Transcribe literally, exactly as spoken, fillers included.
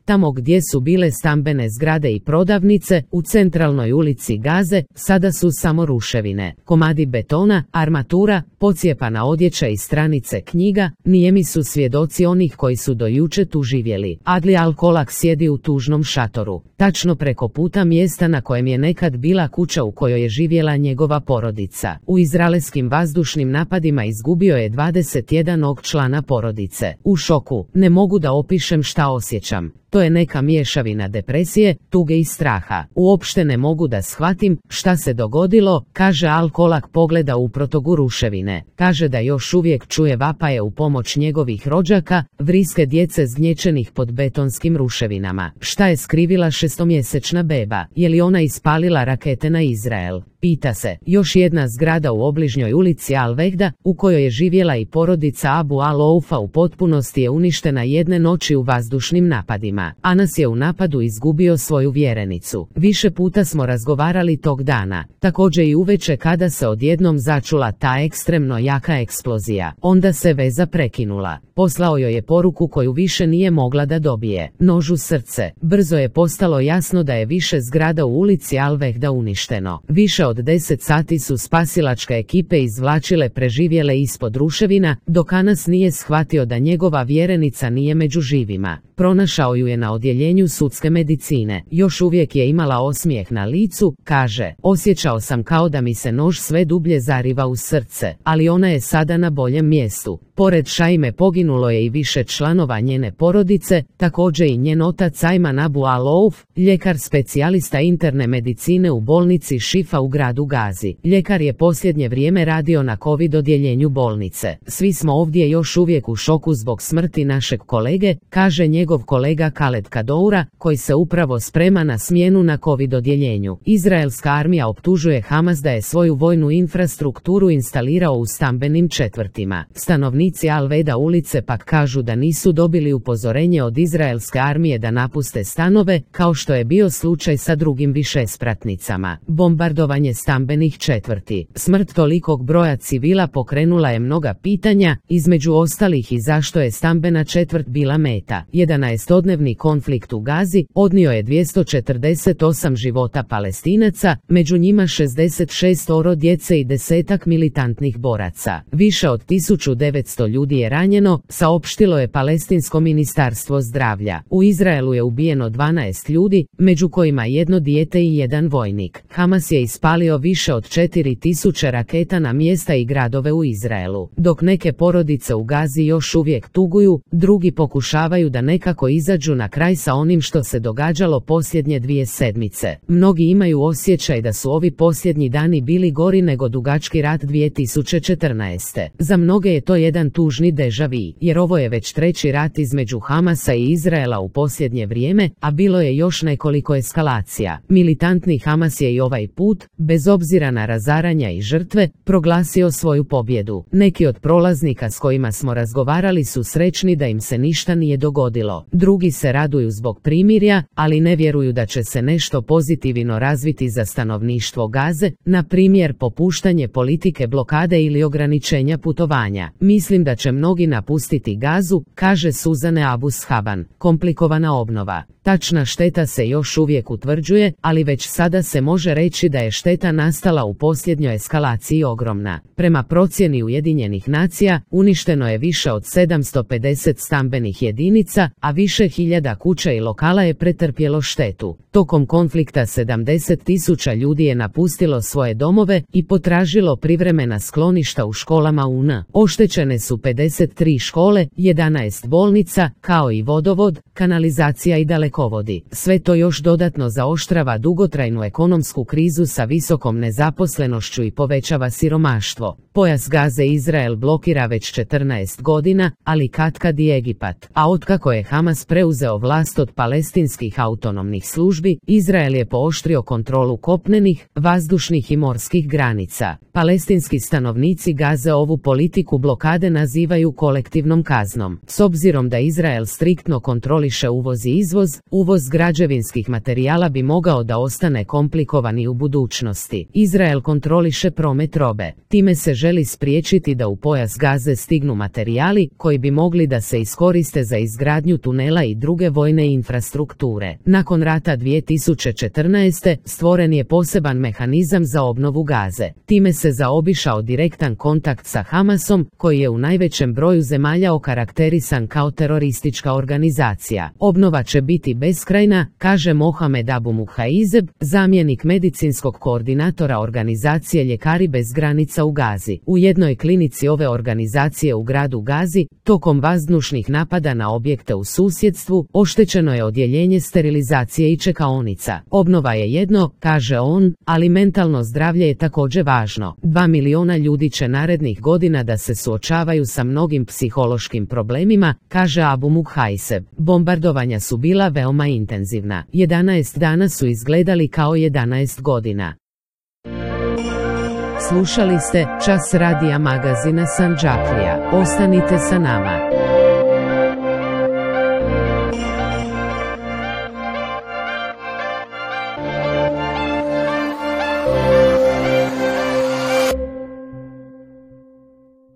Tamo gdje su bile stambene zgrade i prodavnice, u centralnoj ulici Gaze, sada su samo ruševine. Komadi betona, armatura, pocijepana odjeća i stranice knjiga, nijemi su svjedoci onih koji su do juče tu živjeli. Adli Al-Kolak sjedi u tužnom šatoru, tačno preko puta mjesta na kojem je nekad bila kuća u kojoj je živjela njegova porodica. U izraelskim vazdušnim napadima izgubio je dvadeset jednog člana porodice. U šoku, ne mogu da opišem šta osjećam. To je neka mješavina depresije, tuge i straha. Uopšte ne mogu da shvatim šta se dogodilo, kaže Al-Kolak, pogleda u protogu ruševine. Kaže da još uvijek čuje vapaje u pomoć njegovih rođaka, vriske djece zgnječenih pod betonskim ruševinama. Šta je skrivila šestomjesečna beba? Je li ona ispalila rakete na Izrael? Pita se. Još jedna zgrada u obližnjoj ulici Al-Vehda, u kojoj je živjela i porodica Abu Al-Oufa, u potpunosti je uništena jedne noći u vazdušnim napadima. Anas je u napadu izgubio svoju vjerenicu. Više puta smo razgovarali tog dana, također i uveče kada se odjednom začula ta ekstremno jaka eksplozija. Onda se veza prekinula. Poslao joj je poruku koju više nije mogla da dobije. Nož u srce. Brzo je postalo jasno da je više zgrada u ulici Al-Vehda uništeno. Više od deset sati su spasilačke ekipe izvlačile preživjele ispod ruševina, dok Anas nije shvatio da njegova vjerenica nije među živima. Pronašao ju je na odjeljenju sudske medicine. Još uvijek je imala osmijeh na licu, kaže. Osjećao sam kao da mi se nož sve dublje zariva u srce, ali ona je sada na boljem mjestu. Pored Šaime poginulo je i više članova njene porodice, također i njen otac Ajman Abu Al-Ouf, ljekar specijalista interne medicine u bolnici Šifa u gradu Gazi. Ljekar je posljednje vrijeme radio na COVID odjeljenju bolnice. Svi smo ovdje još uvijek u šoku zbog smrti našeg kolege, kaže njegov kolega Khaled Kadoura, koji se upravo sprema na smjenu na COVID odjeljenju. Izraelska armija optužuje Hamas da je svoju vojnu infrastrukturu instalirao u stambenim četvrtima. Stanovnici Al-Vehda ulice pak kažu da nisu dobili upozorenje od izraelske armije da napuste stanove, kao što je bio slučaj sa drugim višespratnicama. Bombardovanje stambenih četvrti. Smrt tolikog broja civila pokrenula je mnoga pitanja, između ostalih i zašto je stambena četvrt bila meta. jedanaestodnevni konflikt u Gazi odnio je dvjesto četrdeset osam života Palestinaca, među njima šezdeset šest djece i desetak militantnih boraca. Više od tisuću devetsto ljudi je ranjeno, saopštilo je Palestinsko ministarstvo zdravlja. U Izraelu je ubijeno dvanaest ljudi, među kojima jedno dijete i jedan vojnik. Hamas je ispalio više od četiri tisuće raketa na mjesta i gradove u Izraelu. Dok neke porodice u Gazi još uvijek tuguju, drugi pokušavaju da nekako izađu na kraj sa onim što se događalo posljednje dvije sedmice. Mnogi imaju osjećaj da su ovi posljednji dani bili gori nego dugački rat dvije tisuće četrnaeste. Za mnoge je to jedan tužni deja vu, jer ovo je već treći rat između Hamasa i Izraela u posljednje vrijeme, a bilo je još nekoliko eskalacija. Militantni Hamas je i ovaj put, bez obzira na razaranja i žrtve, proglasio svoju pobjedu. Neki od prolaznika s kojima smo razgovarali su srećni da im se ništa nije dogodilo. Drugi se raduju zbog primirja, ali ne vjeruju da će se nešto pozitivno razviti za stanovništvo Gaze, na primjer popuštanje politike blokade ili ograničenja putovanja. Mislim da će mnogi napustiti Gazu, kaže Suzane Abu Shaban. Komplikovana obnova. Tačna šteta se još uvijek utvrđuje, ali već sada se može reći da je šteta nastala u posljednjoj eskalaciji ogromna. Prema procjeni Ujedinjenih nacija, uništeno je više od sedamsto pedeset stambenih jedinica, a više hiljada kuća i lokala je pretrpjelo štetu. Tokom konflikta sedamdeset tisuća ljudi je napustilo svoje domove i potražilo privremena skloništa u školama U N. Oštećene su pedeset tri škole, jedanaest bolnica, kao i vodovod, kanalizacija i dalekovodi. Sve to još dodatno zaoštrava dugotrajnu ekonomsku krizu sa visokom nezaposlenošću i povećava siromaštvo. Pojas Gaze Izrael blokira već četrnaest godina, ali katkad i Egipat. A otkako je Hamas preuzeo vlast od palestinskih autonomnih službi, Izrael je pooštrio kontrolu kopnenih, vazdušnih i morskih granica. Palestinski stanovnici Gaze ovu politiku blokade nazivaju kolektivnom kaznom. S obzirom da Izrael striktno kontroliše uvoz i izvoz, uvoz građevinskih materijala bi mogao da ostane komplikovan i u budućnosti. Izrael kontroliše promet robe. Time se želi spriječiti da u pojas Gaze stignu materijali koji bi mogli da se iskoriste za izgradnju tunela i druge vojne infrastrukture. Nakon rata dvije tisuće četrnaeste. stvoren je poseban mehanizam za obnovu Gaze. Time se zaobišao direktan kontakt sa Hamasom, koji je u najvećem broju zemalja okarakterisan kao teroristička organizacija. Obnova će biti beskrajna, kaže Mohamed Abu Muhaizeb, zamjenik medicinskog koordinatora organizacije Ljekari bez granica u Gazi. U jednoj klinici ove organizacije u gradu Gazi, tokom vazdušnih napada na objekte u susjedstvu, oštećeno je odjeljenje sterilizacije i čekaonica. Obnova je jedno, kaže on, ali mentalno zdravlje je također važno. Dva miliona ljudi će narednih godina da se suočavaju sa mnogim psihološkim problemima, kaže Abu Muhaiseb. Bombardovanja su bila veoma intenzivna. jedanaest dana su izgledali kao jedanaest godina. Slušali ste Čas radija magazina Sandžaklija. Ostanite sa nama.